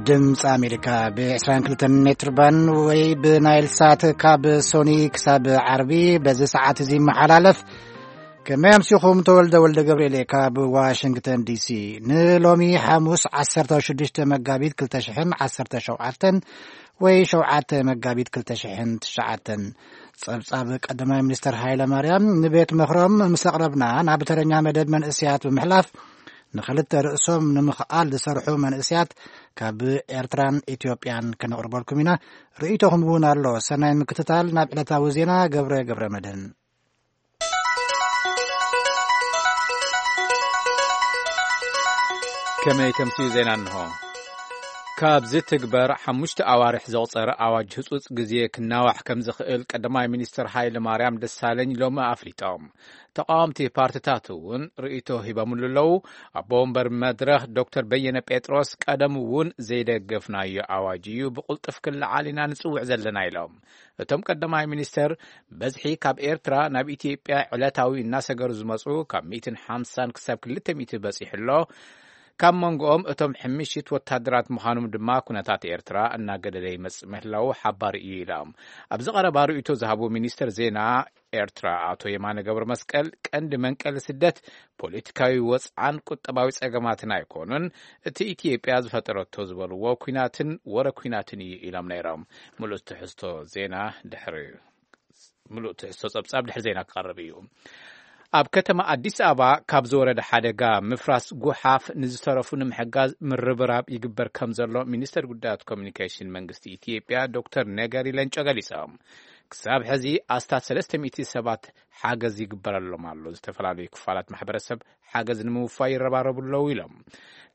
ድምፂ ኣሜሪካ ብ22 ሜትር ባን ወይ ብናይል ሳት ካብ ሶኒ ክሳብ ዓርቢ በዚ ሰዓት እዚ ይመሓላለፍ። ከመይ ኣምሲኹም? ተወልደ ወልደ ገብርኤል ካብ ዋሽንግተን ዲሲ። ንሎሚ ሓሙስ 16 መጋቢት 2017 ወይ 7 መጋቢት 2009። ጸብጻብ ቀዳማይ ሚኒስተር ሃይለ ማርያም ንቤት ምኽሮም ምስ ኣቕረብና፣ ናብ ተረኛ መደብ መንእስያት ብምሕላፍ፣ ንኽልተ ርእሶም ንምኽኣል ዝሰርሑ መንእስያት ካብ ኤርትራን ኢትዮጵያን ከነቕርበልኩም ኢና። ርእይቶኹም እውን ኣሎ። ሰናይ ምክትታል። ናብ ዕለታዊ ዜና ገብረ ገብረ መድህን። ከመይ ተምስዩ ዜና እንሆ። ካብዚ ትግበር ሓሙሽተ ኣዋርሕ ዘቑጸረ ኣዋጅ ህጹጽ ግዜ ክናዋሕ ከም ዝኽእል ቀዳማይ ሚኒስትር ሃይለ ማርያም ደሳለኝ ሎሚ ኣፍሊጦም። ተቃወምቲ ፓርቲታት እውን ርእይቶ ሂቦምሉ ኣለዉ። ኣቦ ወንበር መድረኽ ዶክተር በየነ ጴጥሮስ ቀደም እውን ዘይደገፍናዮ ኣዋጅ እዩ፣ ብቕልጡፍ ክለዓል ኢና ንጽውዕ ዘለና ኢሎም። እቶም ቀዳማይ ሚኒስተር በዝሒ ካብ ኤርትራ ናብ ኢትዮጵያ ዕለታዊ እናሰገሩ ዝመጹ ካብ ሚእትን ሓምሳን ክሳብ ክልተ ሚእቲ በጺሑ ኣሎ። ካብ መንጎኦም እቶም ሕምሽት ወታደራት ምዃኖም ድማ ኩነታት ኤርትራ እናገደደ ይመጽእ ምህላዉ ሓባር እዩ ኢሎም። ኣብዚ ቀረባ ርእይቶ ዝሃቡ ሚኒስተር ዜና ኤርትራ ኣቶ የማነ ገብረ መስቀል፣ ቀንዲ መንቀሊ ስደት ፖለቲካዊ ወጽዓን ቁጠባዊ ጸገማትን ኣይኮኑን፣ እቲ ኢትዮጵያ ዝፈጠረቶ ዝበልዎ ኩናትን ወረ ኩናትን እዩ ኢሎም ነይሮም። ምሉእ ትሕዝቶ ዜና ድሕሪ ምሉእ ትሕዝቶ ጸብጻብ ድሕሪ ዜና ክቐርብ እዩ። ኣብ ከተማ ኣዲስ ኣበባ ካብ ዝወረደ ሓደጋ ምፍራስ ጉሓፍ ንዝተረፉ ንምሕጋዝ ምርብራብ ይግበር ከም ዘሎ ሚኒስተር ጉዳያት ኮሚኒኬሽን መንግስቲ ኢትዮጵያ ዶክተር ነገሪ ለንጮ ገሊጾም። ክሳብ ሕዚ ኣስታት ሰለስተ ሚእቲ ሰባት ሓገዝ ይግበረሎም ኣሎ። ዝተፈላለዩ ክፋላት ማሕበረሰብ ሓገዝ ንምውፋይ ይረባረቡ ኣለዉ ኢሎም።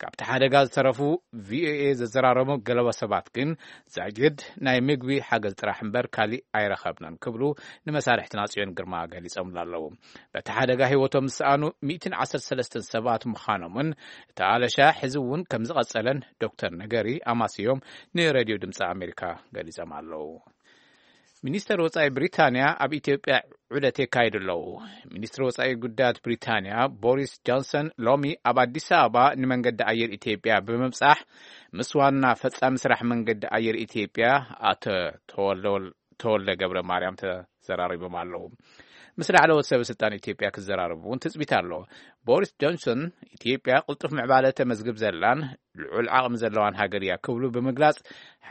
ካብቲ ሓደጋ ዝተረፉ ቪኦኤ ዘዘራረቡ ገለቦ ሰባት ግን ዛጊድ ናይ ምግቢ ሓገዝ ጥራሕ እምበር ካሊእ ኣይረኸብናን ክብሉ ንመሳርሕትና ጽዮን ግርማ ገሊጾምሉ ኣለዉ። በቲ ሓደጋ ህይወቶም ዝሰኣኑ ሚእትን ዓሰርተ ሰለስተን ሰባት ምዃኖምን እቲ ኣለሻ ሕዚ እውን ከም ዝቐጸለን ዶክተር ነገሪ ኣማስዮም ንሬድዮ ድምፂ ኣሜሪካ ገሊጾም ኣለዉ። ሚኒስተር ወጻኢ ብሪታንያ ኣብ ኢትዮጵያ ዑደት የካይዱ ኣለዉ። ሚኒስትሪ ወጻኢ ጉዳያት ብሪታንያ ቦሪስ ጆንሰን ሎሚ ኣብ ኣዲስ ኣበባ ንመንገዲ ኣየር ኢትዮጵያ ብምብጻሕ ምስ ዋና ፈጻሚ ስራሕ መንገዲ ኣየር ኢትዮጵያ ኣቶ ተወልደ ወል-፣ ተወልደ ገብረ ማርያም ተዘራሪቦም ኣለዉ። ምስ ላዕለዎት ሰበ ስልጣን ኢትዮጵያ ክዘራረቡ እውን ትጽቢት ኣሎ። ቦሪስ ጆንሰን ኢትዮጵያ ቅልጡፍ ምዕባለ ተመዝግብ ዘላን ልዑል ዓቕሚ ዘለዋን ሃገር እያ ክብሉ ብምግላጽ፣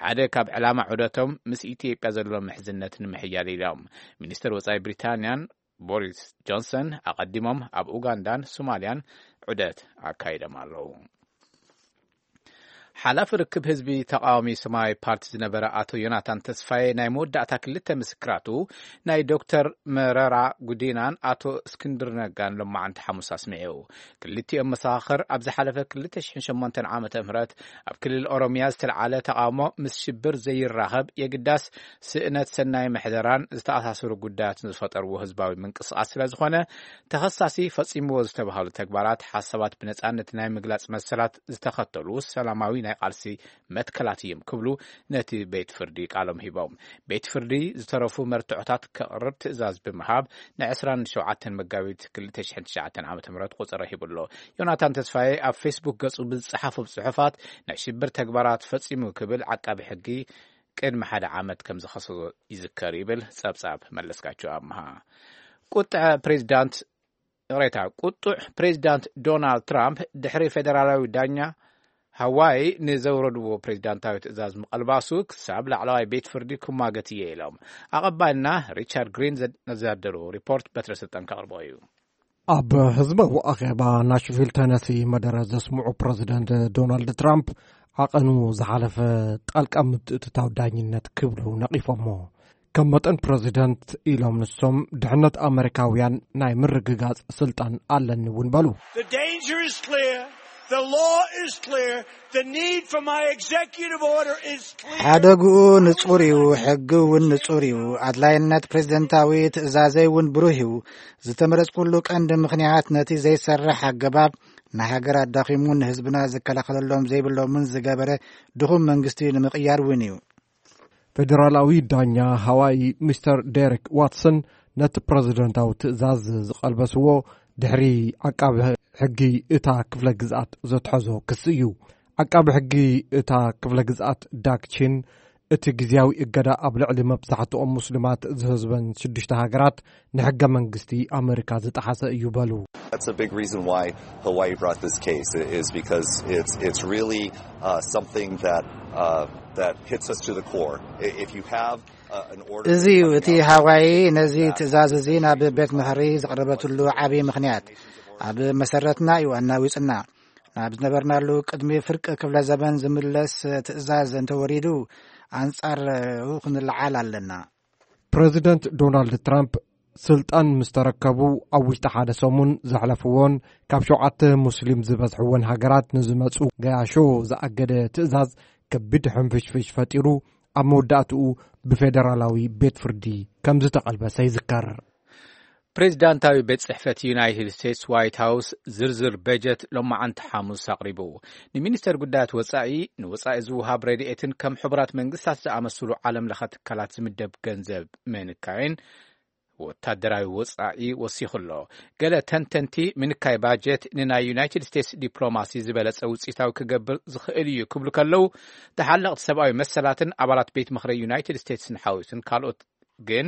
ሓደ ካብ ዕላማ ዑደቶም ምስ ኢትዮጵያ ዘሎ ምሕዝነት ንምሕያል ኢሎም። ሚኒስትር ወጻኢ ብሪታንያን ቦሪስ ጆንሰን ኣቐዲሞም ኣብ ኡጋንዳን ሶማልያን ዑደት ኣካይዶም ኣለዉ። ሓላፊ ርክብ ህዝቢ ተቃዋሚ ሰማያዊ ፓርቲ ዝነበረ ኣቶ ዮናታን ተስፋዬ ናይ መወዳእታ ክልተ ምስክራቱ ናይ ዶክተር መረራ ጉዲናን ኣቶ እስክንድር ነጋን ሎማዓንቲ ሓሙስ ኣስሚዑ። ክልቲኦም መሰኻኽር ኣብ ዝሓለፈ ክልተ ሽሕን ሸሞንተን ዓመተ ምህረት ኣብ ክልል ኦሮምያ ዝተልዓለ ተቃውሞ ምስ ሽብር ዘይራኸብ የግዳስ ስእነት ሰናይ ምሕደራን ዝተኣሳሰሩ ጉዳያትን ዝፈጠርዎ ህዝባዊ ምንቅስቃስ ስለ ዝኾነ፣ ተኸሳሲ ፈጺምዎ ዝተባህሉ ተግባራት ሓሳባት ብነጻነት ናይ ምግላጽ መሰላት ዝተኸተሉ ሰላማዊ ናይ ቃልሲ መትከላት እዮም ክብሉ ነቲ ቤት ፍርዲ ቃሎም ሂቦም። ቤት ፍርዲ ዝተረፉ መርትዖታት ከቕርብ ትእዛዝ ብምሃብ ን ዕስራን ሸውዓተን መጋቢት ክልተ ሽሕን ትሽዓተን ዓመተ ምህረት ቁጽሪ ሂቡ ኣሎ። ዮናታን ተስፋዬ ኣብ ፌስቡክ ገጹ ብዝጸሓፎም ጽሑፋት ናይ ሽብር ተግባራት ፈጺሙ ክብል ዓቃቢ ሕጊ ቅድሚ ሓደ ዓመት ከም ዝኸሰሶ ይዝከር ይብል ጸብጻብ መለስካቸው ኣምሃ። ቁጥዐ ፕሬዚዳንት፣ ይቕሬታ፣ ቁጡዕ ፕሬዚዳንት ዶናልድ ትራምፕ ድሕሪ ፌደራላዊ ዳኛ ሃዋይ ንዘውረድዎ ፕሬዚዳንታዊ ትእዛዝ ምቐልባሱ ክሳብ ላዕለዋይ ቤት ፍርዲ ክሟገት እየ ኢሎም። ኣቐባልና ሪቻርድ ግሪን ዘ-፣ ዘዳለዎ ሪፖርት በትረ ስልጣን ከቕርቦ እዩ። ኣብ ህዝባዊ ኣኼባ ናሽቪል ተነሲ መደረ ዘስምዑ ፕረዚደንት ዶናልድ ትራምፕ ዓቐኑ ዝሓለፈ ጣልቃ ምትእትታው ዳኝነት ክብሉ ነቒፎሞ። ከም መጠን ፕረዚደንት ኢሎም ንሶም ድሕነት ኣመሪካውያን ናይ ምርግጋጽ ስልጣን ኣለኒ እውን በሉ። The danger is clear. The law is clear. The need for my executive order is clear. ሓደግኡ ንጹር እዩ፣ ሕጊ እውን ንጹር እዩ። ኣድላይነት ፕሬዚደንታዊ ትእዛዘይ እውን ብሩህ እዩ። ዝተመረጽኩሉ ቀንዲ ምኽንያት ነቲ ዘይሰርሕ ኣገባብ ንሃገር ኣዳኺሙ ንህዝብና ዝከላኸለሎም ዘይብሎምን ዝገበረ ድኹም መንግስቲ ንምቕያር እውን እዩ። ፌደራላዊ ዳኛ ሃዋይ ሚስተር ዴሪክ ዋትሰን ነቲ ፕረዚደንታዊ ትእዛዝ ዝቐልበስዎ ድሕሪ ዓቃቢ ሕጊ እታ ክፍለ ግዝኣት ዘትሐዞ ክሲ እዩ። ዓቃቢ ሕጊ እታ ክፍለ ግዝኣት ዳክቺን፣ እቲ ግዝያዊ እገዳ ኣብ ልዕሊ መብዛሕትኦም ሙስሊማት ዝህዝበን ሽዱሽተ ሃገራት ንሕገ መንግስቲ ኣመሪካ ዝጠሓሰ እዩ በሉ። That's a big reason why Hawaii brought this case, is because it's it's really uh, something that uh, that hits us to the core. I- If you have uh, an order እዚ እዩ እቲ ሃዋይ ነዚ ትእዛዝ እዚ ናብ ቤት ምኽሪ ዘቕረበትሉ ዓብዪ ምኽንያት። ኣብ መሰረትና እዩ ኣናዊጽና። ናብ ዝነበርናሉ ቅድሚ ፍርቂ ክፍለ ዘመን ዝምለስ ትእዛዝ እንተወሪዱ፣ ኣንጻር ክንለዓል ኣለና። ፕረዚደንት ዶናልድ ትራምፕ ስልጣን ምስ ተረከቡ ኣብ ውሽጢ ሓደ ሰሙን ዘሕለፍዎን ካብ ሸውዓተ ሙስሊም ዝበዝሕወን ሃገራት ንዝመጹ ገያሾ ዝኣገደ ትእዛዝ ከቢድ ሕንፍሽፍሽ ፈጢሩ፣ ኣብ መወዳእትኡ ብፌደራላዊ ቤት ፍርዲ ከም ዝተቐልበሰ ይዝከር። ፕሬዚዳንታዊ ቤት ጽሕፈት ዩናይትድ ስቴትስ ዋይት ሃውስ ዝርዝር በጀት ሎማዓንቲ ሓሙስ ኣቕሪቡ። ንሚኒስተር ጉዳያት ወጻኢ፣ ንወጻኢ ዝውሃብ ረድኤትን ከም ሕቡራት መንግስታት ዝኣመስሉ ዓለም ለኸ ትካላት ዝምደብ ገንዘብ ምንካይን ወታደራዊ ወጻኢ ወሲኹ ኣሎ። ገለ ተንተንቲ፣ ምንካይ ባጀት ንናይ ዩናይትድ ስቴትስ ዲፕሎማሲ ዝበለጸ ውጽኢታዊ ክገብር ዝኽእል እዩ ክብሉ ከለዉ፣ ተሓለቕቲ ሰብኣዊ መሰላትን ኣባላት ቤት ምኽሪ ዩናይትድ ስቴትስን ሓዊሱን ካልኦት ግን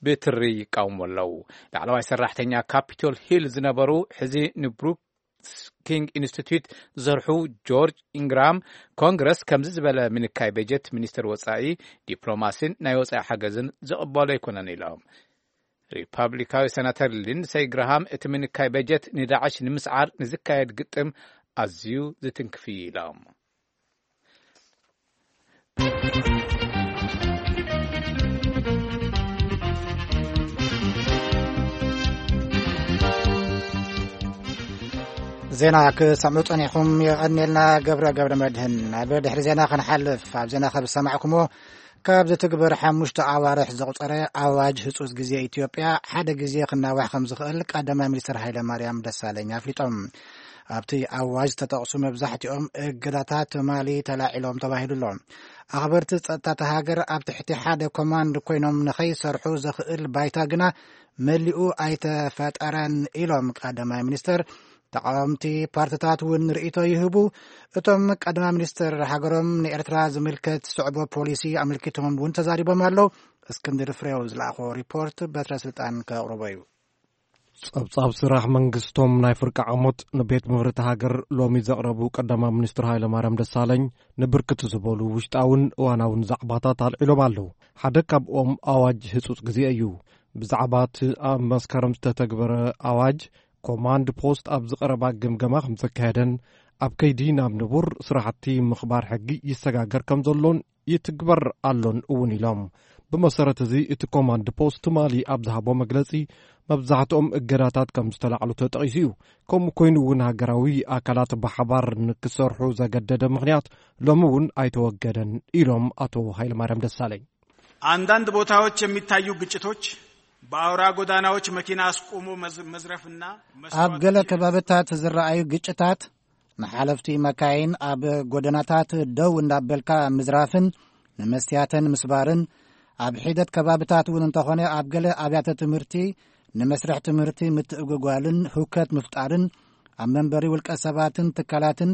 ብትሪ ይቃወሙ ኣለዉ። ላዕለዋይ ሰራሕተኛ ካፒቶል ሂል ዝነበሩ፣ ሕዚ ንብሩክስ ኪንግ ኢንስቲትዩት ዝሰርሑ ጆርጅ ኢንግራም፣ ኮንግረስ ከምዚ ዝበለ ምንካይ በጀት ሚኒስተር ወጻኢ፣ ዲፕሎማሲን ናይ ወጻኢ ሓገዝን ዝቕበሎ ኣይኮነን ኢሎም። ሪፐብሊካዊ ሰናተር ሊንድሰይ ግራሃም፣ እቲ ምንካይ በጀት ንዳዕሽ ንምስዓር ንዝካየድ ግጥም ኣዝዩ ዝትንክፍ እዩ ኢሎም። ዜና ክሰምዑ ጸኒሕኩም የቐንየልና። ገብረ ገብረ መድህን። ናብ ድሕሪ ዜና ክንሓልፍ፣ ኣብ ዜና ከም ዝሰማዕኩሞ፣ ካብ ዝትግበር ሓሙሽተ ኣዋርሕ ዘቑጸረ ኣዋጅ ህጹጽ ግዜ ኢትዮጵያ ሓደ ግዜ ክናዋሕ ከም ዝኽእል ቀዳማይ ሚኒስትር ሃይለ ማርያም ደሳለኝ ኣፍሊጦም። ኣብቲ ኣዋጅ ዝተጠቕሱ መብዛሕትኦም እገዳታት ትማሊ ተላዒሎም ተባሂሉ ኣሎ። ኣኽበርቲ ጸጥታ እታ ሃገር ኣብ ትሕቲ ሓደ ኮማንድ ኮይኖም ንኸይሰርሑ ዘኽእል ባይታ ግና መሊኡ ኣይተፈጠረን ኢሎም ቀዳማይ ሚኒስትር። ተቃወምቲ ፓርትታት እውን ርእይቶ ይህቡ። እቶም ቀዳማይ ሚኒስትር ሃገሮም ንኤርትራ ዝምልከት ዝስዕቦ ፖሊሲ ኣመልኪቶም እውን ተዛሪቦም ኣለዉ። እስክንድር ፍሬው ዝለኣኾ ሪፖርት በትረ ስልጣን ከቕርቦ እዩ። ጸብጻብ ስራሕ መንግስቶም ናይ ፍርቂ ዓሞት ንቤት ምኽሪ እታ ሃገር ሎሚ ዘቕረቡ ቀዳማይ ሚኒስትር ሃይለማርያም ደሳለኝ፣ ንብርክት ዝበሉ ውሽጣውን እዋናውን ዛዕባታት ኣልዒሎም ኣለዉ። ሓደ ካብኦም ኣዋጅ ህጹጽ ግዜ እዩ። ብዛዕባ እቲ ኣብ መስከረም ዝተተግበረ ኣዋጅ፣ ኮማንድ ፖስት ኣብዚ ቀረባ ግምገማ ከም ዘካየደን፣ ኣብ ከይዲ ናብ ንቡር ስራሕቲ ምኽባር ሕጊ ይሰጋገር ከም ዘሎን ይትግበር ኣሎን እውን ኢሎም። ብመሰረት እዚ፣ እቲ ኮማንድ ፖስት ትማሊ ኣብ ዝሃቦ መግለጺ፣ መብዛሕትኦም እገዳታት ከም ዝተላዕሉ ተጠቒሱ እዩ። ከምኡ ኮይኑ እውን፣ ሃገራዊ ኣካላት ብሓባር ንክሰርሑ ዘገደደ ምኽንያት ሎሚ እውን ኣይተወገደን ኢሎም ኣቶ ሃይለማርያም ደሳለኝ። አንዳንድ ቦታዎች የሚታዩ ግጭቶች በአውራ ጎዳናዎች መኪና አስቆሞ መዝ- መዝረፍና ኣብ መስዋዕት ገለ ከባብታት ዝረኣዩ ግጭታት፣ ንሓለፍቲ መካይን ኣብ ጎደናታት ደው እንዳበልካ ምዝራፍን ንመስትያተን ምስባርን፣ ኣብ ሒደት ከባብታት እውን እንተኾነ ኣብ ገለ ኣብያተ ትምህርቲ ንመስርሕ ትምህርቲ ምትእጉጓልን ህውከት ምፍጣርን፣ ኣብ መንበሪ ውልቀ ሰባትን ትካላትን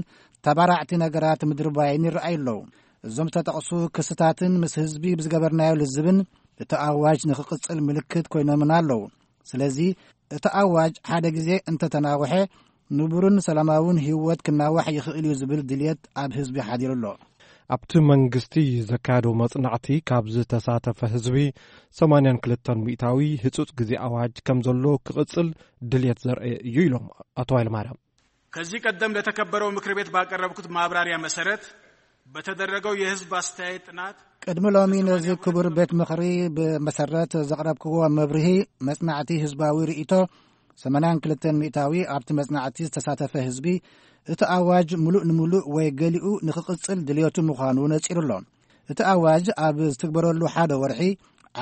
ተባራዕቲ ነገራት ምድርባይን ይረኣዩ ኣለዉ። እዞም ዝተጠቕሱ ክስታትን ምስ ህዝቢ ብዝገበርናዮ ልዝብን እቲ ኣዋጅ ንኽቕጽል ምልክት ኮይኖምና ኣለዉ። ስለዚ እቲ ኣዋጅ ሓደ ግዜ እንተተናውሐ፣ ንቡርን ሰላማውን ህይወት ክናዋሕ ይኽእል እዩ ዝብል ድልየት ኣብ ህዝቢ ሓዲሩ ኣሎ። ኣብቲ መንግስቲ ዘካየዶ መጽናዕቲ ካብ ዝተሳተፈ ህዝቢ ሰማንያን ክልተን ሚእታዊ ህጹጽ ግዜ ኣዋጅ ከም ዘሎ ክቕጽል ድልየት ዘርአ እዩ ኢሎም ኣቶ ሃይለማርያም። ከዚህ ቀደም ለተከበረው ምክር ቤት ባቀረብኩት ማብራሪያ መሰረት በተደረገው የህዝብ አስተያየት ጥናት ቅድሚ ሎሚ ነዚ ክቡር ቤት ምኽሪ ብመሰረት ዘቕረብክዎ መብርሂ፣ መጽናዕቲ ህዝባዊ ርእይቶ ሰማንያን ክልተን ሚእታዊ ኣብቲ መጽናዕቲ ዝተሳተፈ ህዝቢ እቲ ኣዋጅ ምሉእ ንምሉእ ወይ ገሊኡ ንኽቕጽል ድልየቱ ምዃኑ ነጺሩ ኣሎ። እቲ ኣዋጅ ኣብ ዝትግበረሉ ሓደ ወርሒ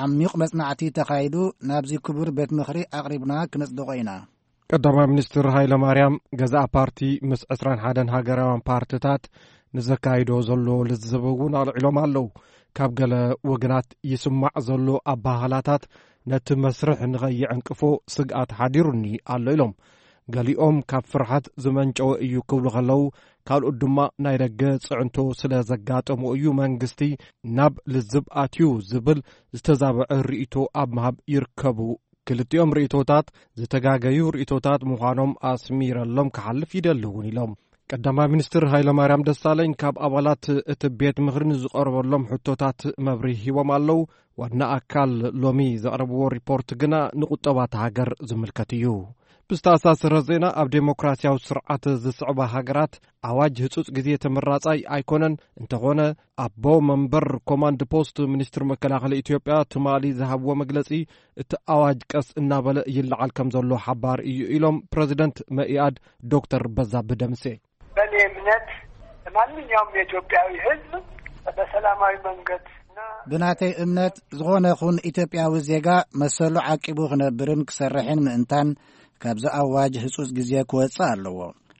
ዓሚቕ መጽናዕቲ ተኻይዱ ናብዚ ክቡር ቤት ምኽሪ ኣቕሪብና ክነጽድቖ ኢና። ቀዳማይ ሚኒስትር ሃይለ ማርያም፣ ገዛእ ፓርቲ ምስ ዕስራን ሓደን ሃገራውያን ፓርትታት ንዘካይዶ ዘሎ ልዝብ እውን ኣልዒሎም ኣለዉ። ካብ ገለ ወገናት ይስማዕ ዘሎ ኣባህላታት ነቲ መስርሕ ንኸይዕንቅፎ ስግኣት ሓዲሩኒ ኣሎ ኢሎም። ገሊኦም ካብ ፍርሓት ዝመንጨወ እዩ ክብሉ ከለዉ፣ ካልኦት ድማ ናይ ደገ ጽዕንቶ ስለ ዘጋጠሞ እዩ መንግስቲ ናብ ልዝብ ኣትዩ ዝብል ዝተዛበዐ ርእይቶ ኣብ ምሃብ ይርከቡ። ክልቲኦም ርእይቶታት ዝተጋገዩ ርእይቶታት ምዃኖም ኣስሚረሎም ክሓልፍ ይደሊ እውን ኢሎም። ቀዳማይ ሚኒስትር ሃይለማርያም ደሳለኝ ካብ ኣባላት እቲ ቤት ምኽሪ ንዝቐረበሎም ሕቶታት መብርሂ ሂቦም ኣለዉ። ዋና ኣካል ሎሚ ዘቕረብዎ ሪፖርት ግና ንቁጠባ እታ ሃገር ዝምልከት እዩ። ብዝተኣሳሰረ ዜና፣ ኣብ ዴሞክራሲያዊ ስርዓት ዝስዕባ ሃገራት ኣዋጅ ህጹጽ ግዜ ተመራጻይ ኣይኮነን። እንተኾነ፣ ኣቦ መንበር ኮማንድ ፖስት ሚኒስትር መከላኸሊ ኢትዮጵያ ትማሊ ዝሃብዎ መግለጺ፣ እቲ ኣዋጅ ቀስ እናበለ ይለዓል ከም ዘሎ ሓባር እዩ ኢሎም ፕረዚደንት መኢኣድ ዶክተር በዛብህ ደምሴ። በእኔ እምነት ማንኛውም የኢትዮጵያዊ ሕዝብ በሰላማዊ መንገድ እና ብናተይ እምነት፣ ዝኾነ ይኹን ኢትዮጵያዊ ዜጋ መሰሉ ዓቂቡ ክነብርን ክሰርሕን ምእንታን ካብዚ ኣዋጅ ህጹጽ ግዜ ክወጽእ ኣለዎ።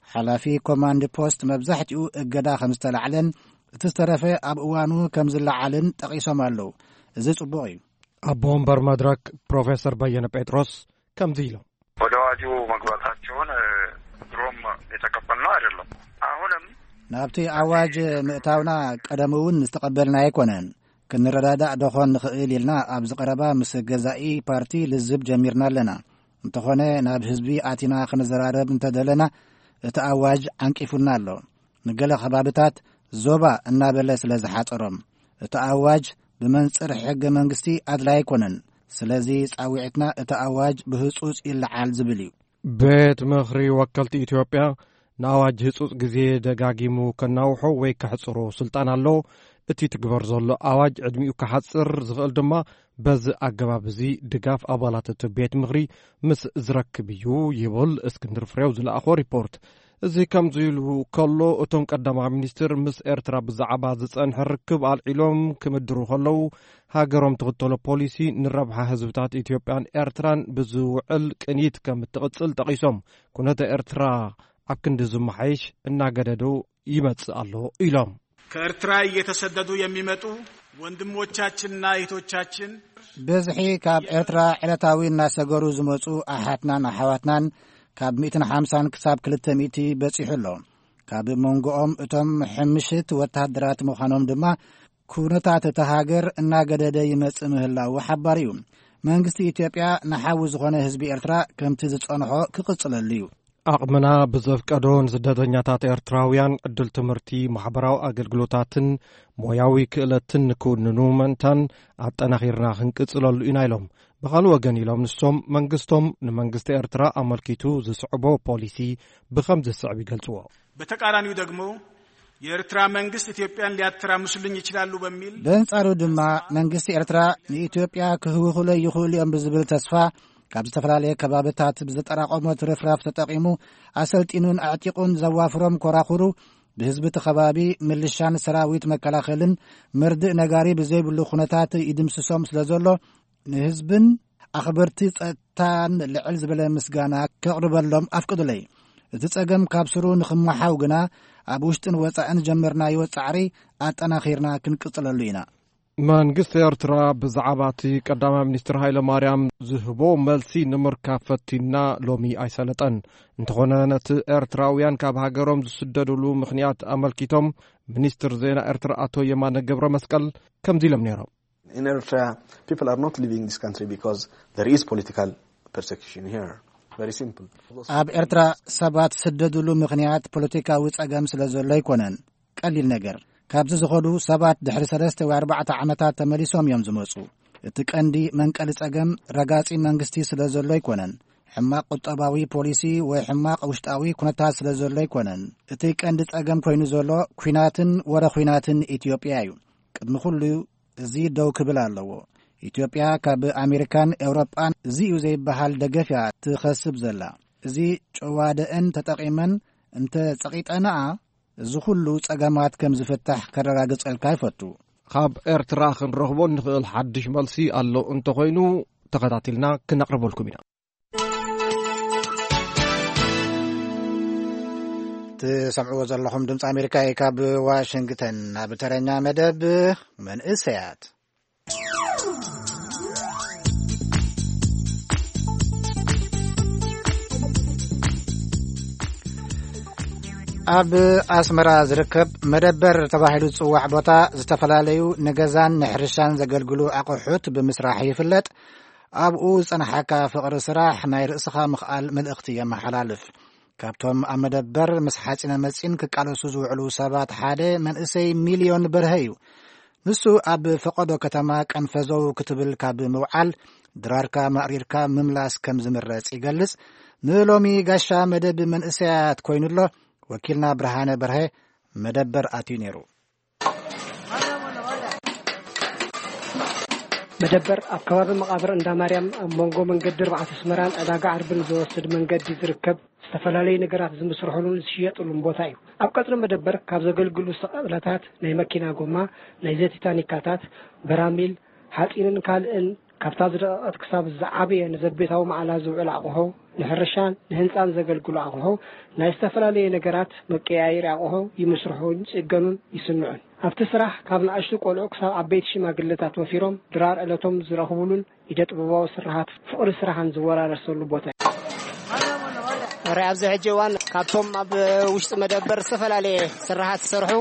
ሓላፊ ኮማንድ ፖስት መብዛሕትኡ እገዳ ከም ዝተላዕለን እቲ ዝተረፈ ኣብ እዋኑ ከም ዝለዓልን ጠቒሶም ኣለዉ። እዚ ጽቡቕ እዩ። ኣቦ ወንበር መድረክ ፕሮፌሰር በየነ ጴጥሮስ ከምዚ ኢሎም። ወደ አዋጁ መግባታቸውን ድሮም የተቀበልነው አይደለም። አሁንም ናብቲ ኣዋጅ ምእታውና ቀደም እውን ዝተቐበልና ኣይኮነን። ክንረዳዳእ ደኾን ንኽእል ኢልና ኣብ ዝቐረባ ምስ ገዛኢ ፓርቲ ልዝብ ጀሚርና ኣለና። እንተኾነ ናብ ህዝቢ ኣቲና ክንዘራረብ እንተደለና እቲ ኣዋጅ ዓንቂፉና ኣሎ። ንገለ ከባብታት ዞባ እናበለ ስለ ዝሓጸሮም እቲ ኣዋጅ ብመንጽር ሕገ መንግስቲ ኣድላይ ኣይኮነን። ስለዚ ጻዊዕትና እቲ ኣዋጅ ብህጹጽ ይለዓል ዝብል እዩ። ቤት ምኽሪ ወከልቲ ኢትዮጵያ ንኣዋጅ ህጹጽ ግዜ ደጋጊሙ ከናውሖ ወይ ከሕጽሮ ስልጣን ኣለዎ። እቲ ትግበር ዘሎ ኣዋጅ ዕድሚኡ ክሓጽር ዝኽእል ድማ በዚ ኣገባብ እዚ ድጋፍ ኣባላት እቲ ቤት ምኽሪ ምስ ዝረክብ እዩ ይብል እስክንድር ፍሬው ዝለኣኾ ሪፖርት። እዚ ከምዚ ኢሉ ከሎ፣ እቶም ቀዳማይ ሚኒስትር ምስ ኤርትራ ብዛዕባ ዝጸንሐ ርክብ ኣልዒሎም ክምድሩ ከለዉ፣ ሃገሮም ትኽተሎ ፖሊሲ ንረብሓ ህዝብታት ኢትዮጵያን ኤርትራን ብዝውዕል ቅኒት ከም እትቕጽል ጠቒሶም፣ ኩነተ ኤርትራ ኣብ ክንዲ ዝመሓየሽ እናገደዱ ይመጽእ ኣሎ ኢሎም። ከኤርትራ እየተሰደዱ የሚመጡ ወንድሞቻችንና እህቶቻችን ብዝሒ ካብ ኤርትራ ዕለታዊ እናሰገሩ ዝመጹ ኣሓትናን ኣሓዋትናን ካብ ሚእትን ሓምሳን ክሳብ ክልተ ሚእቲ በጺሑ ኣሎ። ካብ መንጎኦም እቶም ሕምሽት ወተሃደራት ምዃኖም ድማ ኩነታት እታ ሃገር እናገደደ ይመጽእ ምህላዉ ሓባር እዩ። መንግስቲ ኢትዮጵያ ንሓዊ ዝኾነ ህዝቢ ኤርትራ ከምቲ ዝጸንሖ ክቕጽለሉ እዩ። ዓቕምና ብዘፍቀዶ ንስደተኛታት ኤርትራውያን ዕድል ትምህርቲ፣ ማሕበራዊ ኣገልግሎታትን ሞያዊ ክእለትን ንክውንኑ ምእንታን ኣጠናኺርና ክንቅጽለሉ ኢና ኢሎም። ብኻልእ ወገን ኢሎም ንሶም፣ መንግስቶም ንመንግስቲ ኤርትራ ኣመልኪቱ ዝስዕቦ ፖሊሲ ብኸም ዝስዕብ ይገልጽዎ። በተቃራኒው ደግሞ የኤርትራ መንግስት ኢትዮጵያን ሊያተራምሱልኝ ይችላሉ በሚል በንጻሩ ድማ መንግስቲ ኤርትራ ንኢትዮጵያ ክህውኹለይ ይኽእሉ እዮም ብዝብል ተስፋ ካብ ዝተፈላለየ ከባብታት ብዝጠራቐሞ ትርፍራፍ ተጠቒሙ ኣሰልጢኑን ኣዕጢቑን ዘዋፍሮም ኮራኹሩ ብህዝቢ እቲ ከባቢ ምልሻን ሰራዊት መከላኸልን መርድእ ነጋሪ ብዘይብሉ ኩነታት ይድምስሶም ስለ ዘሎ ንህዝብን ኣኽበርቲ ጸጥታን ልዕል ዝበለ ምስጋና ከቕርበሎም ኣፍቅዱለይ። እቲ ጸገም ካብ ስሩ ንኽመሓው ግና ኣብ ውሽጥን ወጻእን ጀመርናዮ ጻዕሪ ኣጠናኺርና ክንቅጽለሉ ኢና። መንግስቲ ኤርትራ ብዛዕባ እቲ ቀዳማይ ሚኒስትር ሃይለ ማርያም ዝህቦ መልሲ ንምርካብ ፈቲና ሎሚ ኣይሰለጠን። እንተኾነ ነቲ ኤርትራውያን ካብ ሃገሮም ዝስደዱሉ ምኽንያት ኣመልኪቶም ሚኒስትር ዜና ኤርትራ ኣቶ የማነ ገብረ መስቀል ከምዚ ኢሎም ነይሮም። In Eritrea, people are not leaving this country because there is political persecution here. Very simple. ኣብ ኤርትራ ሰባት ዝስደዱሉ ምኽንያት ፖለቲካዊ ጸገም ስለ ዘሎ ኣይኮነን። ቀሊል ነገር። ካብዚ ዝኸዱ ሰባት ድሕሪ ሰለስተ ወይ ኣርባዕተ ዓመታት ተመሊሶም እዮም ዝመጹ። እቲ ቀንዲ መንቀሊ ጸገም ረጋጺ መንግስቲ ስለ ዘሎ ኣይኮነን። ሕማቕ ቁጠባዊ ፖሊሲ ወይ ሕማቕ ውሽጣዊ ኩነታት ስለ ዘሎ ኣይኮነን። እቲ ቀንዲ ጸገም ኮይኑ ዘሎ ኲናትን ወረ ኲናትን ኢትዮጵያ እዩ። ቅድሚ ኩሉ እዚ ደው ክብል ኣለዎ። ኢትዮጵያ ካብ ኣሜሪካን ኤውሮጳን እዚ እዩ ዘይበሃል ደገፍ እያ ትኸስብ ዘላ። እዚ ጨዋደአን ተጠቒመን እንተ ጸቒጠንኣ፣ እዚ ኩሉ ጸገማት ከም ዝፍታሕ ከረጋግጸልካ ይፈቱ። ካብ ኤርትራ ክንረኽቦ እንኽእል ሓድሽ መልሲ ኣሎ እንተኾይኑ፣ ተኸታቲልና ክነቕርበልኩም ኢና። ትሰምዕዎ ዘለኹም ድምፂ ኣሜሪካ እዩ። ካብ ዋሽንግተን ናብ ተረኛ መደብ መንእሰያት። ኣብ ኣስመራ ዝርከብ መደበር ተባሂሉ ዝጽዋዕ ቦታ፣ ዝተፈላለዩ ንገዛን ንሕርሻን ዘገልግሉ ኣቑሑት ብምስራሕ ይፍለጥ። ኣብኡ ዝጸናሓካ ፍቕሪ ስራሕ፣ ናይ ርእስኻ ምኽኣል መልእኽቲ የመሓላልፍ። ካብቶም ኣብ መደበር ምስ ሓጺነ መጺን ክቃለሱ ዝውዕሉ ሰባት ሓደ መንእሰይ ሚልዮን በርሀ እዩ። ንሱ ኣብ ፈቐዶ ከተማ ቀንፈዘው ክትብል ካብ ምውዓል፣ ድራርካ ማእሪርካ ምምላስ ከም ዝምረጽ ይገልጽ። ንሎሚ ጋሻ መደብ መንእሰያት ኮይኑ ኣሎ። ወኪልና ብርሃነ በርሀ መደበር ኣትዩ ነይሩ። መደበር ኣብ ከባቢ መቓብር እንዳ ማርያም፣ ኣብ መንጎ መንገዲ ኣርባዕተ ኣስመራን ዕዳጋ ዓርብን ዝወስድ መንገዲ ዝርከብ፣ ዝተፈላለዩ ነገራት ዝምስርሑሉን ዝሽየጡሉን ቦታ እዩ። ኣብ ቀጽሪ መደበር ካብ ዘገልግሉ ሰቐለታት፣ ናይ መኪና ጎማ፣ ናይ ዘይቲ ታኒካታት፣ በራሚል፣ ሓጺንን ካልእን፣ ካብታ ዝደቐቐት ክሳብ ዝዓበየ ንዘቤታዊ መዓላ ዝውዕል ኣቕሑ፣ ንሕርሻን ንህንጻን ዘገልግሉ ኣቕሑ፣ ናይ ዝተፈላለየ ነገራት መቀያየሪ ኣቕሑ ይምስርሑን ይጽገኑን ይስንዑን። ኣብቲ ስራሕ ካብ ንኣሽቱ ቆልዑ ክሳብ ዓበይቲ ሽማግለታት ወፊሮም ድራር ዕለቶም ዝረኽቡሉን ኢደ ጥበባዊ ስርሓት ፍቕሪ ስራሕን ዝወራረሰሉ ቦታ እዩ። ሕራይ ኣብዚ ሕጂ እዋን ካብቶም ኣብ ውሽጢ መደበር ዝተፈላለየ ስራሓት ዝሰርሑ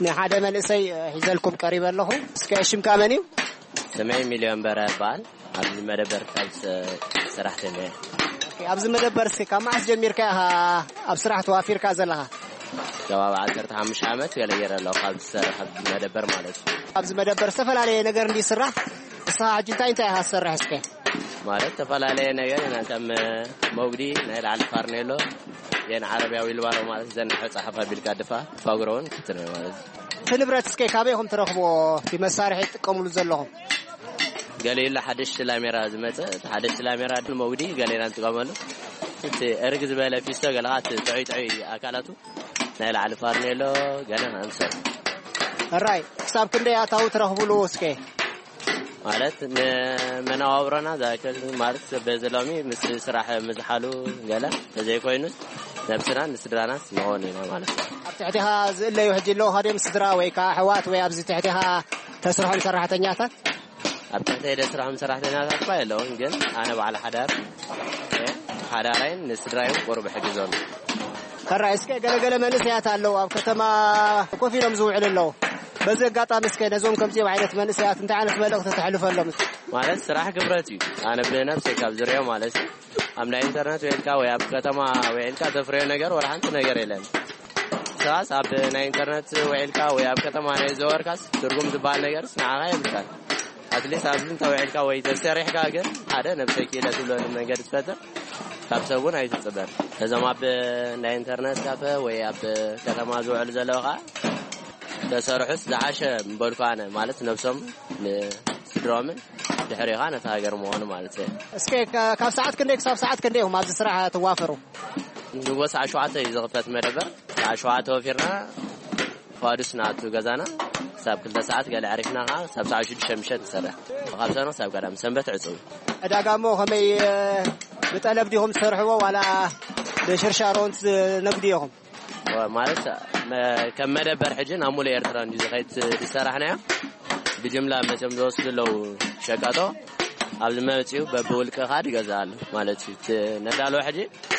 ንሓደ መንእሰይ ሒዘልኩም ቀሪበ ኣለኹ። እስከ ሽምካ መን እዩ? ስመይ ሚልዮን በረ ይበሃል። ኣብዚ መደበር ካብ ሰ-፣ ሰራሕተኛ እየ። ኦኬ፣ ኣብዚ መደበር እስከ ካብ መዓስ ጀሚርካ ኢኻ ኣብ ስራሕ ተዋፊርካ ዘለኻ? ከባቢ ዓሰርተ ሓሙሽተ ዓመት ገለ ገይረ ኣለኹ ካብ ዝሰርሕ መደበር ማለት እዩ። ኣብዚ መደበር ዝተፈላለየ ነገር እንዲ ይስራሕ፣ ንስኻ ሕጂ እንታይ እንታይ ኢኻ ትሰርሕ እስከ? ማለት ዝተፈላለየ ነገር ኢና፣ ከም መጉዲ፣ ናይ ላዕሊ ፋርኔሎ፣ የን ዓረብያ ዊልባሮ ማለት ዘን ጸሓፍ ኣቢልካ ድፋ፣ ፋጉሮ እውን ክትነ ማለት እዩ። እቲ ንብረት እስከ ካበይ ኢኹም ትረኽብዎ? እቲ መሳርሒ ትጥቀምሉ ዘለኹም? ገሊኡ ሓደሽቲ ላሜራ ዝመጸ፣ እቲ ሓደሽቲ ላሜራ ድማ መጉዲ ገሌና ንጥቀመሉ። እቲ እርግ ዝበለ ፊስቶ ገለኻ እቲ ጥዑይ ጥዑይ ኣካላቱ ናይ ላዕሊ ፋርኔሎ ገለ ኣምሰሉ። ሕራይ ክሳብ ክንደይ ኣታዊ ትረኽብሉ እስከ? ማለት ንመነባብሮና ዝኣክል ማለት በዚ ሎሚ ምስ ስራሕ ምዝሓሉ ገለ ተዘይኮይኑስ ነብስናን ንስድራናስ ንኾን ኢና ማለት እዩ። ኣብ ትሕቴኻ ዝእለዩ ሕጂ ኣለዉ ካድዮም ስድራ ወይ ከዓ ኣሕዋት ወይ ኣብዚ ትሕቴኻ ተስርሖም ሰራሕተኛታት? ኣብ ትሕተይ ደስርሖም ሰራሕተኛታት እኳ የለውን፣ ግን ኣነ በዓል ሓዳር እየ። ሓዳራይን ንስድራይን ቁሩብ እሕግዞም። ሕራይ እስከ ገለገለ መንእሰያት ኣለዉ ኣብ ከተማ ኮፍ ኢሎም ዝውዕሉ ኣለዉ። በዚ ኣጋጣሚ እስከ ነዞም ከምዚኦም ዓይነት መንእሰያት እንታይ ዓይነት መልእኽቲ ተሕልፈሎም? ማለት ስራሕ ክብረት እዩ። ኣነ ብነብሰይ ካብ ዝሪኦ ማለት እዩ። ኣብ ናይ ኢንተርነት ውዒልካ ወይ ኣብ ከተማ ውዒልካ ተፍርዮ ነገር ወላ ሓንቲ ነገር የለን። ሰባስ ኣብ ናይ ኢንተርነት ውዒልካ ወይ ኣብ ከተማ ናይ ዘወርካስ ትርጉም ዝበሃል ነገርስ ንዓኻ የብልካን። ኣትሊስት ኣብዚ እንተ ውዒልካ ወይ ተሰሪሕካ ግን ሓደ ነብሰይ ክኢለ ትብለሉ መንገዲ ትፈጥር። ካብ ሰብ እውን ኣይትጽበን። እዞም ኣብ ናይ ኢንተርነት ካፈ ወይ ኣብ ከተማ ዝውዕሉ ዘለዉ ከዓ ተሰርሑስ ዝሓሸ ምበልኩ ኣነ፣ ማለት ነብሶም ንስድሮምን ድሕሪኻ ነታ ሃገር ምዃኑ ማለት እዩ። እስከ ካ-፣ ካብ ሰዓት ክንደይ ክሳብ ሰዓት ክንደይ ኢኹም ኣብዚ ስራሕ ትዋፈሩ? ንጎ ሰዓት ሸውዓተ እዩ ዝኽፈት መደበር። ሰዓት ሸውዓተ ወፊርና ፋዱስ ንኣቱ ገዛና። ክሳብ ክልተ ሰዓት ገለ ዕሪፍና ከዓ ክሳብ ሰዓት ሽዱሽተ ምሸት ንሰርሕ። ካብ ሰኖ ክሳብ ቀዳም፣ ሰንበት ዕጹው። ዕዳጋ እሞ ከመይ፣ እ፣ ብጠለብ ዲኹም ትሰርሕዎ ዋላ ብሽርሻሮ ትነግዱ ኢኹም? ማለት መ-፣ ከም መደበር ሕጂ ናብ ሙሉእ ኤርትራ እንድዩ ዝኸይድ ዝሰራሕናዮ። ብጅምላ መፅዮም ዝወስዱ ኣለዉ ሸቀጦ። ኣብዚ መፅዩ በብውልቅኻ ትገዝኣሉ ማለት እዩ። እቲ ነዳሎ ሕጂ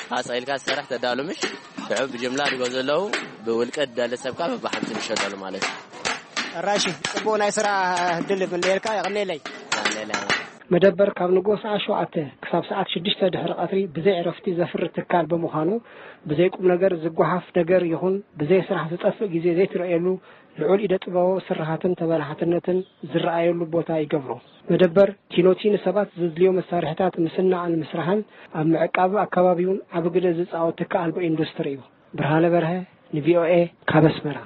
ኻስ ኢልካ ዝሰርሕ ተዳሉ ምሽ ሽዑ ብጅምላ ዝገዝኡ ኣለዉ። ብውልቂ ዝደሊ ሰብካ በብሓንቲ ንሸጠሉ ማለት እዩ። ሕራይ እሺ፣ ጽቡቕ ናይ ስራሕ ዕድል ይምነየልካ፣ የቐንየለይ። የቐንየለይ። መደበር ካብ ንግሆ ሰዓት ሸውዓተ ክሳብ ሰዓት ሽዱሽተ ድሕሪ ቀትሪ ብዘይ ዕረፍቲ ዘፍሪ ትካል ብምዃኑ፣ ብዘይ ቁም ነገር ዝጓሓፍ ነገር ይኹን ብዘይ ስራሕ ዝጠፍእ ግዜ ዘይትርእየሉ፣ ልዑል ኢደ ጥበባዊ ስርሓትን ተበላሓትነትን ዝረኣየሉ ቦታ ይገብሮ። መደበር ቲኖቲ ንሰባት ዘድልዮ መሳርሕታት ምስናዕን ምስራሕን ኣብ ምዕቃብ ኣከባቢውን ዓቢ ግደ ዝጻወት ትኪ ኣልቦ ኢንዱስትሪ እዩ። ብርሃነ በርሀ ንቪኦኤ ካብ ኣስመራ።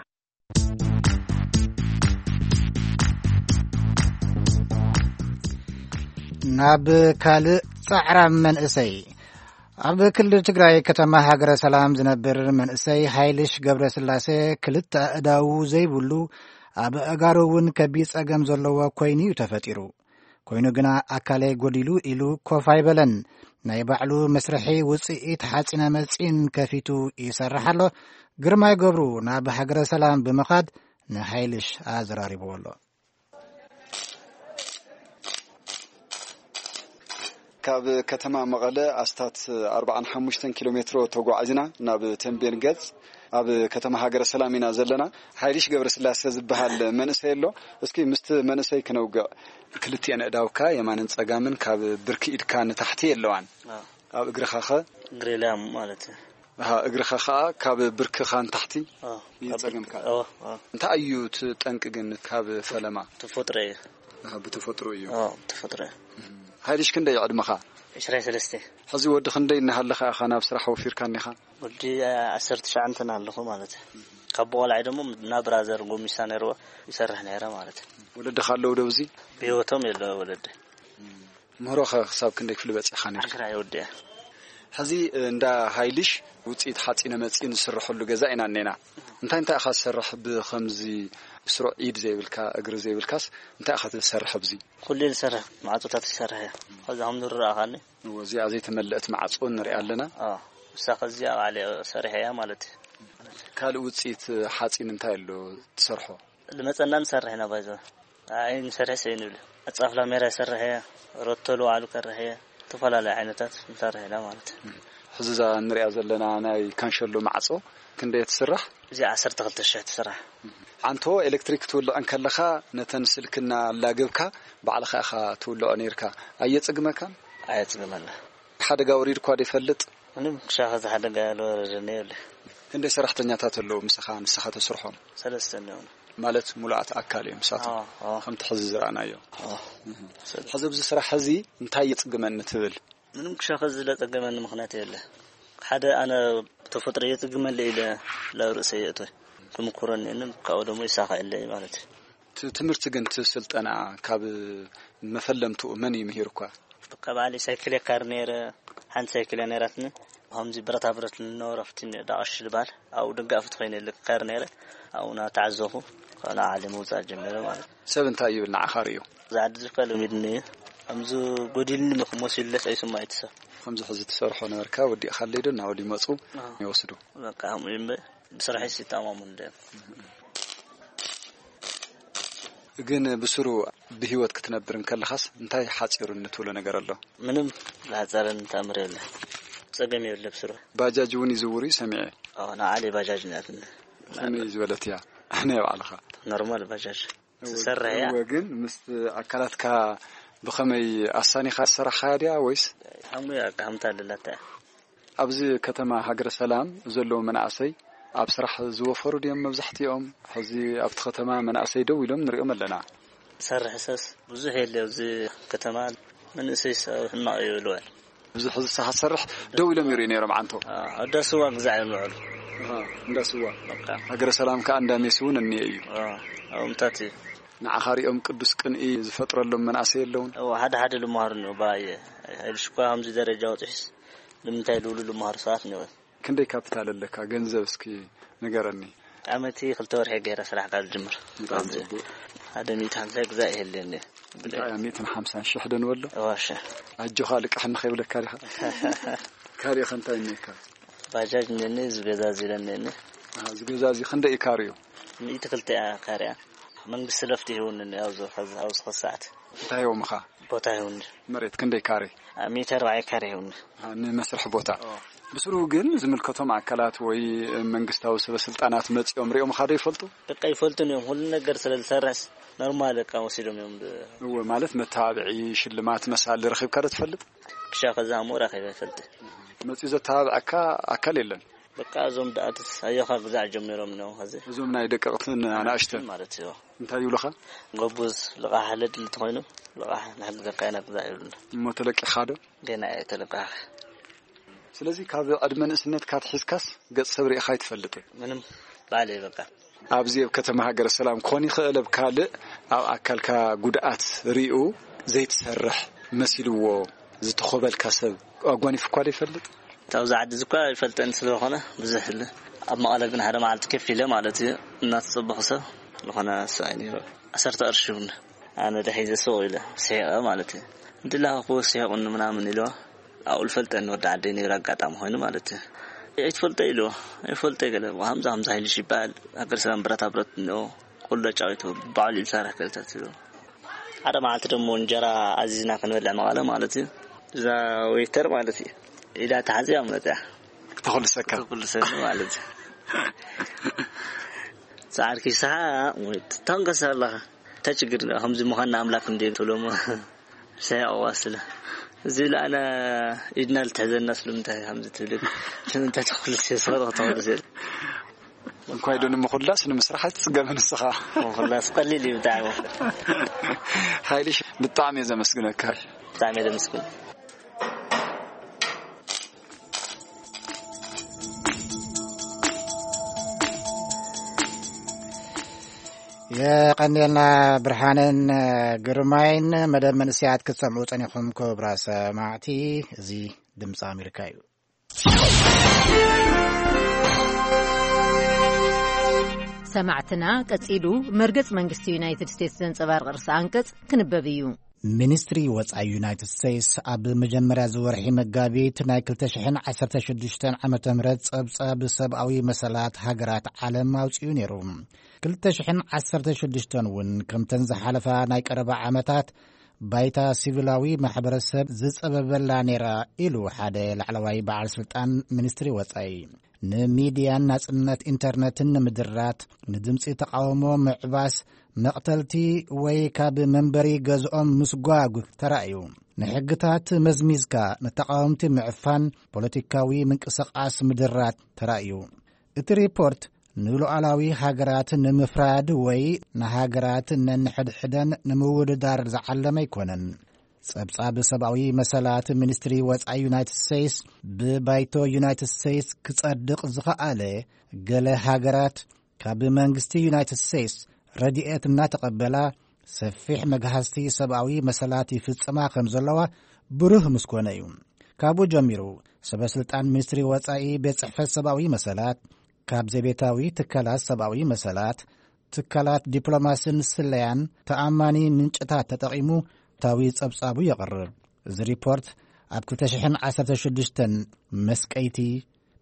ናብ ካልእ ጻዕራም መንእሰይ። ኣብ ክልል ትግራይ ከተማ ሃገረ ሰላም ዝነብር መንእሰይ ሃይልሽ ገብረስላሴ ክልተ ኣእዳዉ ዘይብሉ፣ ኣብ ኣእጋሩ እውን ከቢድ ጸገም ዘለዎ ኮይኑ እዩ ተፈጢሩ። ኮይኑ ግና ኣካለይ ጎዲሉ ኢሉ ኮፍ ኣይበለን። ናይ ባዕሉ መስርሒ ውጽኢት ሓጺነ መጺን ከፊቱ ይሰርሕ ኣሎ። ግርማይ ገብሩ ናብ ሃገረ ሰላም ብምኻድ ንሃይልሽ ኣዘራሪብዎ ኣሎ። ካብ ከተማ መቐለ ኣስታት ኣርባዓን ሓሙሽተን ኪሎ ሜትሮ ተጓዒዝና ናብ ተንቤን ገጽ ኣብ ከተማ ሃገረ ሰላም ኢና ዘለና። ሓይልሽ ገብረስላሴ ዝበሃል መንእሰይ ኣሎ። እስኪ ምስቲ መንእሰይ ክነውግዕ። ክልቲኤን ኣእዳውካ የማንን ጸጋምን ካብ ብርኪ ኢድካ ንታሕቲ የለዋን። ኣብ እግርኻ ኸ? እግሪ ላም ማለት እዩ። ኣሃ፣ እግርኻ ኸኣ ካብ ብርክኻ ንታሕቲ? ኣዎ። እዩ ጸገምካ? ኣዎ፣ ኣዎ። እንታይ እዩ እቲ ጠንቂ ግን ካብ ፈለማ? ተፈጥሮ እዩ። ኣሃ፣ ብተፈጥሮ እዩ። ኣዎ፣ ብተፈጥሮ እዩ። ሃይልሽ ክንደይ ዕድመኻ? ዕስራን ሰለስተን። ሕዚ ወዲ ክንደይ እናሃለኻ ኢኻ ናብ ስራሕ ወፊርካ እኒኻ? ወዲ ዓሰርተ ትሽዓተ ኣለኹ ማለት እዩ። ካብ ቆልዓይ ደሞ ናብ ብራዘር ጎሚሳ ነይርዎ ይሰርሕ ነይረ ማለት እዩ። ወለድኻ ኣለዉ ዶ ኣብዚ? ብህይወቶም የለ ወለዲ። ምህሮኸ ክሳብ ክንደይ ክፍሊ በጺሕኻ ነይርካ? ዓስራ ይወድእ። ሕዚ እንዳ ሃይልሽ ውጽኢት ሓጺነ መጺን ዝስርሐሉ ገዛ ኢና እኔና። እንታይ እንታይ ኢኻ ትሰርሕ? ብኸምዚ ብስሩዕ ኢድ ዘይብልካ፣ እግሪ ዘይብልካስ እንታይ ኢኻ ትሰርሕ ኣብዚ? ኩሉ ዝሰርሕ ማዕጾታት ይሰርሕ እየ። ከዛ ከም ዝረኣኻኒ። እወ፣ እዚኣ ዘይተመልአት ማዕጾ ንሪኣ ኣለና። ኣዎ። እሳ ከዚኣ ባዕለ ሰሪሐ እያ ማለት እዩ። ካልእ ውጽኢት ሓጺን እንታይ ኣሎ ትሰርሖ? ልመጸና ንሰርሕ ኢና ባይዘ። ኣይ ንሰርሕ ሰይ ንብል። ኣጻፍላ ሜራ ይሰርሕ እየ። ሮቶሉ ባዕሉ ከርሕ እየ። ዝተፈላለዩ ዓይነታት ንሰርሕ ኢና ማለት እዩ። ሕዚ እዛ ንሪኣ ዘለና ናይ ካንሸሎ ማዕጾ ክንደይ ትስራሕ? እዚ ዓሰርተ ክልተ ሽሕ ትስራሕ። ዓንቶ ኤሌክትሪክ ትውልዕ እንከለኻ ነተን ስልክና ኣላገብካ ባዕልኻ ኢኻ ትውልዖ ነይርካ። ኣየጽግመካን? ኣየጽግመና። ሓደጋ ወሪድኳ ዶ ይፈልጥ? ምንም ክሻኸ ዝሓደጋ ያልወረደኒ የብለ። ክንደይ ሰራሕተኛታት ኣለዉ ምሳኻ ንስኻ ተስርሖም? ሰለስተ እኒኦን። ማለት ሙሉኣት ኣካል እዮም ንሳቶም? ኣዎ፣ ኣዎ። ከምቲ ሕዚ ዝረኣናዮ። ኣዎ። እህ። ሰለ- ሕዚ ኣብዚ ስራሕ እዚ እንታይ የጽግመኒ ትብል? ምንም ክሻኸ ዝለጸገመኒ ምኽንያት የለ። ሓደ ኣነ ተፈጥሮ የጽግመለ ኢለ ላብ ርእሰ የእቶ። ክምኩረኒ እንም ካብኡ ደሞ ይሳኸዐለይ ማለት እዩ። ት-፣ ትምህርቲ ግን እቲ ስልጠና ካብ መፈለምትኡ መን እዩ ምሂርኳ? ካብ ባዕለይ ሳይክል የካር ነይረ። ሓንቲ ሳይክል እያ ነይራትኒ። ከምዚ ብረታ ብረት ንነበረ ፍትን ዳቕሽ ዝበሃል ኣብኡ ደጋፊት ኮይነ ክካር ነይረ። ኣብኡ እናተዓዘኹ ንዓ ዓሊ ምውፃእ ጀሚረ ማለት እዩ። ሰብ እንታይ ይብል ንዓኻ ርእዩ? እዚ ዓዲ እዚ እኳ ለሚድኒ እዩ። ከምዚ ጎዲልኒ መሲሉለስ ኣይስማይ እቲ ሰብ። ከምዚ ሕዚ ትሰርሖ ነበርካ፣ ወዲእኻለይ ዶ እናበሉ ይመፁ ኣዎ። ይወስዱ? በቃ ከምኡ እዩ እምበር ብስራሐይስ ይተኣማመኑ እንድዮም። ግን ብስሩ ብህይወት ክትነብር እንከለኻስ እንታይ ሓፂሩኒ ትብሎ ነገር ኣሎ? ምንም ዝሓፀረኒ ተኣምር የለ። ፀገም የለ ብስሩ። ባጃጅ እውን ይዝውሩ እዩ ሰሚዐ። ኣዎ፣ ንዓሊ ባጃጅ ናትኒ። ከመይ ዝበለት እያ? ናይ ባዕልኻ? ኖርማል ባጃጅ ትሰርሕ እያ። እወ፣ ግን ምስ ኣካላትካ ብኸመይ ኣሳኒኻ ዝሰራሕኻያ ድያ ወይስ? ሓሙያ ከምታ ኣለላታ እያ። ኣብዚ ከተማ ሃገረ ሰላም ዘለዉ መናእሰይ ኣብ ስራሕ ዝወፈሩ ድዮም መብዛሕትኦም? ሕዚ ኣብቲ ከተማ መናእሰይ ደው ኢሎም ንሪኦም ኣለና። ዝሰርሕ ሰስ ብዙሕ የለ ኣብዚ ከተማ፣ መንእሰይ ሰብ ሕማቕ እዩ ይብልዎ። ብዙሕ እዚ ሰሓት ሰርሕ ደው ኢሎም ይርእዩ ነይሮም ዓንቶ። ኣዎ፣ እንዳ ስዋ ግዛዕ እዮም ዝውዕሉ። ኣሃ፣ እንዳ ስዋ። በቃ። ሃገረ ሰላም ከኣ እንዳ ሜስ እውን እኒአ እዩ። ኣዎ፣ ኣብኡ ምታት እዩ። ንዓኻ ሪኦም ቅዱስ ቅንኢ ዝፈጥረሎም መናእሰይ የለውን? እወ፣ ሓደ ሓደ ልምሃሩ እኒኦ፣ ብኣየ። ኣይልሽ እኳ ከምዚ ደረጃ ወፂሑስ ንምንታይ ልብሉ ልምሃሩ ሰባት እኒኦ። ክንደይ ካፒታል ኣለካ? ገንዘብ እስኪ ንገረኒ። ዓመቲ ክልተ ወርሒ ገይረ ስራሕ ካብ ዝጅምር። ብጣዕሚ ጽቡቅ። ሓደ ሚእቲ ሓምሳ ግዛእ ይህልየኒ። እንታይ እያ፣ ሚእትን ሓምሳን ሽሕ ዶ ንበሎ? እወ፣ እሺ። ኣጆኻ ልቃሕ ንኸይብለካ ዲኻ? ካልእ ኸ እንታይ እኒኤካ? ባጃጅ እኒኤኒ፣ እዚ ገዛ እዚ ኢለ እኒኤኒ። ኣሃ፣ እዚ ገዛ እዚ ክንደይ እዩ ካሬኡ? ሚእቲ ክልተ እያ ካሬኣ። መንግስቲ ለፍቲ ሂቡኒ ኣብዚ፣ ኣብዚ፣ ኣብዚ ኸዚ ሰዓት። እንታይ ሂቦምኻ? ቦታ ሂቡኒ። መሬት ክንደይ ካሬ? ሚእቲ ኣርባዕተ ካሬ ሂቡኒ። ኣሃ፣ ንመስርሒ ቦታ። ኦ። ብስሩ ግን ዝምልከቶም ኣካላት ወይ መንግስታዊ ሰበ ስልጣናት መጺኦም ሪኦምኻ ዶ ይፈልጡ? በቃ ይፈልጡን እዮም። ሁሉ ነገር ስለ ዝሰርሕስ ኖርማል በቃ ወሲዶም እዮም ብ- እወ፣ ማለት መተባብዒ፣ ሽልማት መሳሊ ረኺብካ ዶ ትፈልጥ? ክሻ ከዛ እሞ ረኺበ ይፈልጥ። መጺኡ ዘተባብዐካ ኣካል የለን? በቃ እዞም ደኣትስ ኣዮኻ ግዛዕ ጀሚሮም ነው ኸዚ። እዞም ናይ ደቀቕትን ኣናእሽተን? ማለት እዩ። እንታይ ይብሉኻ? ጎቡዝ፣ ልቓሕ ለድሊ ተኾይኑ፣ ልቓሕ ንሕግዘካ ኢና ግዛዕ ይብሉና። እሞ ተለቂኻ ዶ? ገና እየ ተለቃኺ። ስለዚ ካብ ዕድመ ንእስነትካ ኣትሒዝካስ ገጽ ሰብ ርኢኻ ኣይትፈልጥን? ምንም፣ ባዕለይ በቃ። ኣብዚ ኣብ ከተማ ሃገረ ሰላም ክኾን ይኽእል፣ ኣብ ካልእ ኣብ ኣካልካ ጉድኣት ሪኡ ዘይትሰርሕ መሲልዎ ዝተኾበልካ ሰብ ኣጓኒፉኳ ዶ ይፈልጥ? እታ ኣብዚ ዓዲ እዚ እኳ ይፈልጠኒ ስለ ዝኾነ ብዙሕ ል-፣ ኣብ መቐለ ግን ሓደ መዓልቲ ከፍ ኢለ ማለት እዩ እናተጸበኹ ሰብ ዝኾነ ሰብኣይ ነይሩ። ዓሰርተ ቅርሺ እውን ኣነ ደሒዘ ስቕ ኢለ ስሒቐ ማለት እዩ። እንድላኸ ክወስሒቑኒ ምናምን ኢልዋ። ኣብኡ ልፈልጠኒ ወዲ ዓደይ ነይሩ ኣጋጣሚ ኮይኑ ማለት እዩ። ኣይትፈልጦ ኢልዎ። ኣይፈልጦ ገለ፣ ሃምዛ ሃምዛ ሃይልሽ ይበሃል። ሃገር ሰላም ብረታ ብረት እኒኦ። ኩሉ ኣጫዊቱ ባዕሉ እዩ ዝሰርሕ ገለታት ኢልዎ። ሓደ መዓልቲ ደሞ እንጀራ ኣዚዝና ክንበልዕ መቐለ ማለት እዩ። እዛ ዌይተር ማለት እዩ። ኢዳ ተሓዚያ መፅያ። ክተኹልሰካ። ክተኹልሰኒ ማለት እዩ። ጻዕርኪ ሰሓ ወይ ትታንቀስ ኣለኻ። እንታይ ችግር ኣለዎ? ከምዚ ምዃንና ኣምላኽ እንድዩ ትብሎሞ። ሰያቕ ዋስለ። እዚ ኢሉ ኣነ ኢድና ልትሕዘና ስለምንታይ ከምዚ ትብል? ስለምንታይ ተኹልስ እየ፣ ሰረቕ ተኹልስ እየ። እንኳይ ዶ ንምኹላስ ንምስራሕ ኣይትጽገምን ንስኻ? ምኹላስ ቀሊል እዩ ብጣዕሚ። ሓይልሽ ብጣዕሚ እየ ዘመስግነካ። ብጣዕሚ እየ ዘመስግን። የቐንየልና ብርሃንን ግርማይን። መደብ መንእሰያት ክትሰምዑ ጸኒኹም ክቡራ ሰማዕቲ። እዚ ድምፂ ኣሜሪካ እዩ። ሰማዕትና ቀጺሉ መርገጽ መንግስቲ ዩናይትድ ስቴትስ ዘንጸባርቕ ርእሰ ኣንቀጽ ክንበብ እዩ። ሚኒስትሪ ወጻኢ ዩናይትድ ስቴትስ ኣብ መጀመርያ ዝወርሒ መጋቢት ናይ ክልተ ሽሕን ዓሰርተ ሽዱሽተን ዓመተ ምህረት ጸብጻብ ሰብኣዊ መሰላት ሃገራት ዓለም ኣውጺኡ ነይሩ። ክልተ ሽሕን ዓሰርተ ሽዱሽተን እውን ከምተን ዝሓለፋ ናይ ቀረባ ዓመታት ባይታ ሲቪላዊ ማሕበረሰብ ዝጸበበላ ነይራ ኢሉ ሓደ ላዕለዋይ በዓል ስልጣን ሚኒስትሪ ወጻኢ። ንሚድያን ናጽነት ኢንተርነትን ንምድራት፣ ንድምጺ ተቃውሞ ምዕባስ፣ መቕተልቲ ወይ ካብ መንበሪ ገዝኦም ምስጓግ ተራእዩ። ንሕግታት መዝሚዝካ ንተቃወምቲ ምዕፋን፣ ፖለቲካዊ ምንቅስቃስ ምድራት ተራእዩ። እቲ ሪፖርት ንሉዓላዊ ሃገራት ንምፍራድ ወይ ንሃገራት ነንሕድሕደን ንምውድዳር ዝዓለመ ኣይኮነን። ጸብጻብ ሰብኣዊ መሰላት ሚኒስትሪ ወጻኢ ዩናይትድ ስቴትስ ብባይቶ ዩናይትድ ስቴትስ ክጸድቕ ዝኸኣለ፣ ገለ ሃገራት ካብ መንግስቲ ዩናይትድ ስቴትስ ረድኤት እናተቐበላ ሰፊሕ መግሃስቲ ሰብኣዊ መሰላት ይፍጽማ ከም ዘለዋ ብሩህ ምስኮነ እዩ። ካብኡ ጀሚሩ፣ ሰበ ስልጣን ሚኒስትሪ ወጻኢ፣ ቤት ጽሕፈት ሰብኣዊ መሰላት፣ ካብ ዘቤታዊ ትካላት ሰብኣዊ መሰላት፣ ትካላት ዲፕሎማስን ስለያን ተኣማኒ ምንጭታት ተጠቒሙ ታዊ ጸብጻቡ የቕርብ። እዚ ሪፖርት ኣብ ክልተ ሽሕን ዓሰርተ ሽዱሽተን መስቀይቲ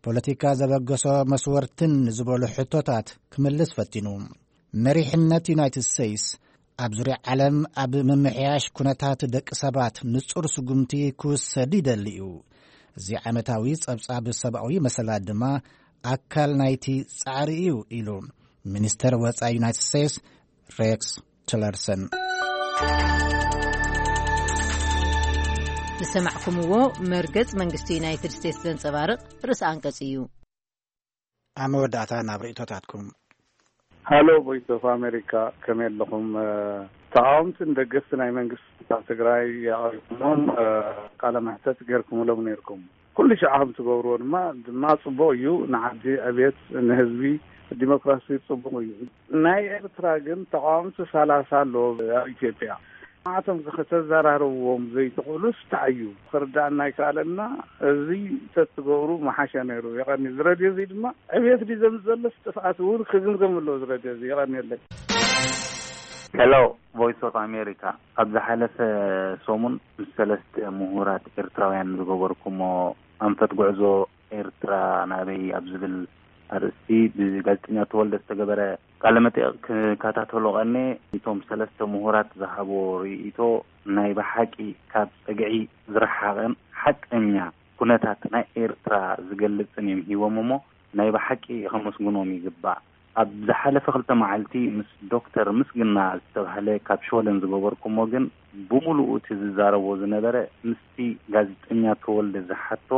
ፖለቲካ ዘበገሶ መስወርትን ዝበሉ ሕቶታት ክምልስ ፈቲኑ። መሪሕነት ዩናይትድ ስቴትስ ኣብ ዙርያ ዓለም ኣብ ምምሕያሽ ኩነታት ደቂ ሰባት ንጹር ስጉምቲ ክውሰድ ይደሊ እዩ። እዚ ዓመታዊ ጸብጻብ ሰብኣዊ መሰላት ድማ ኣካል ናይቲ ጻዕሪ እዩ ኢሉ ሚኒስተር ወጻኢ ዩናይትድ ስቴትስ ሬክስ ቲለርሰን። ዝሰማዕኩምዎ መርገጽ መንግስቲ ዩናይትድ ስቴትስ ዘንጸባርቕ ርእሰ ኣንቀጽ እዩ። ኣብ መወዳእታ ናብ ርእይቶታትኩም። ሃሎ ቮይስ ኦፍ ኣሜሪካ፣ ከመይ ኣለኹም? ተቃወምትን ደገፍቲ ናይ መንግስቲ ኣብ ትግራይ ኣቕሪብኩሞም ቃለ መሕተት ገይርኩምሎም ነይርኩም። ኩሉ ሽዓ ከም ትገብርዎ ድማ ድማ ጽቡቕ እዩ። ንዓዲ ዕብየት፣ ንህዝቢ ዲሞክራሲ ጽቡቕ እዩ። ናይ ኤርትራ ግን ተቃወምቲ ሰላሳ ኣለዎ ኣብ ኢትዮጵያ። ንዓቶም ከተዘራርብዎም ዘይትኽእሉስ እንታይ እዩ? ክርዳእና ኣይከኣለና። እዚ ተትገብሩ መሓሸ ነይሩ። የቐኒ። እዚ ረድዮ እዚ ድማ ዕብየት ድዩ ዘምጽእ ዘሎስ ጥፍኣት እውን ክግምገም ኣለዎ። እዚ ረድዮ እዚ የቐንየለይ። ሄሎ፣ ቮይስ ኦፍ ኣሜሪካ። ኣብ ዝሓለፈ ሰሙን ምስ ሰለስተ ምሁራት ኤርትራውያን ዝገበርኩሞ ኣንፈት ጉዕዞ ኤርትራ ናበይ ኣብ ዝብል ኣርእስቲ ብጋዜጠኛ ተወልደ ዝተገበረ ቃለ መጠይቕ ክከታተሎ ቀኔ፣ እቶም ሰለስተ ምሁራት ዝሃብዎ ርእይቶ ናይ ብሓቂ ካብ ጸግዒ ዝረሓቐን ሓቀኛ ኩነታት ናይ ኤርትራ ዝገልጽን እዮም ሂቦም እሞ ናይ ብሓቂ ከመስግኖም ይግባእ። ኣብ ዝሓለፈ ክልተ መዓልቲ ምስ ዶክተር ምስግና ዝተባህለ ካብ ሽወደን ዝገበርኩሞ ግን ብምሉኡ እቲ ዝዛረቦ ዝነበረ ምስቲ ጋዜጠኛ ተወልደ ዝሓቶ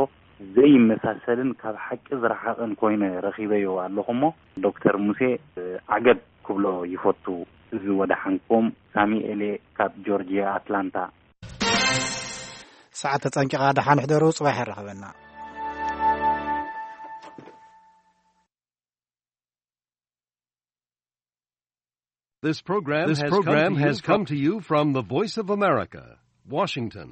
ዘይመሳሰልን ካብ ሓቂ ዝረሓቐን ኮይነ ረኺበዮ ኣለኹ እሞ ዶክተር ሙሴ ዓገብ ክብሎ ይፈቱ። እዚ ወደሓንኩም ሳሚኤሌ ካብ ጆርጅያ ኣትላንታ። ሰዓት ተጸንቂቓ፣ ደሓን ሕደሩ፣ ጽባሕ የራኽበና። This program This has come program to you has from come to you from the Voice of America, Washington.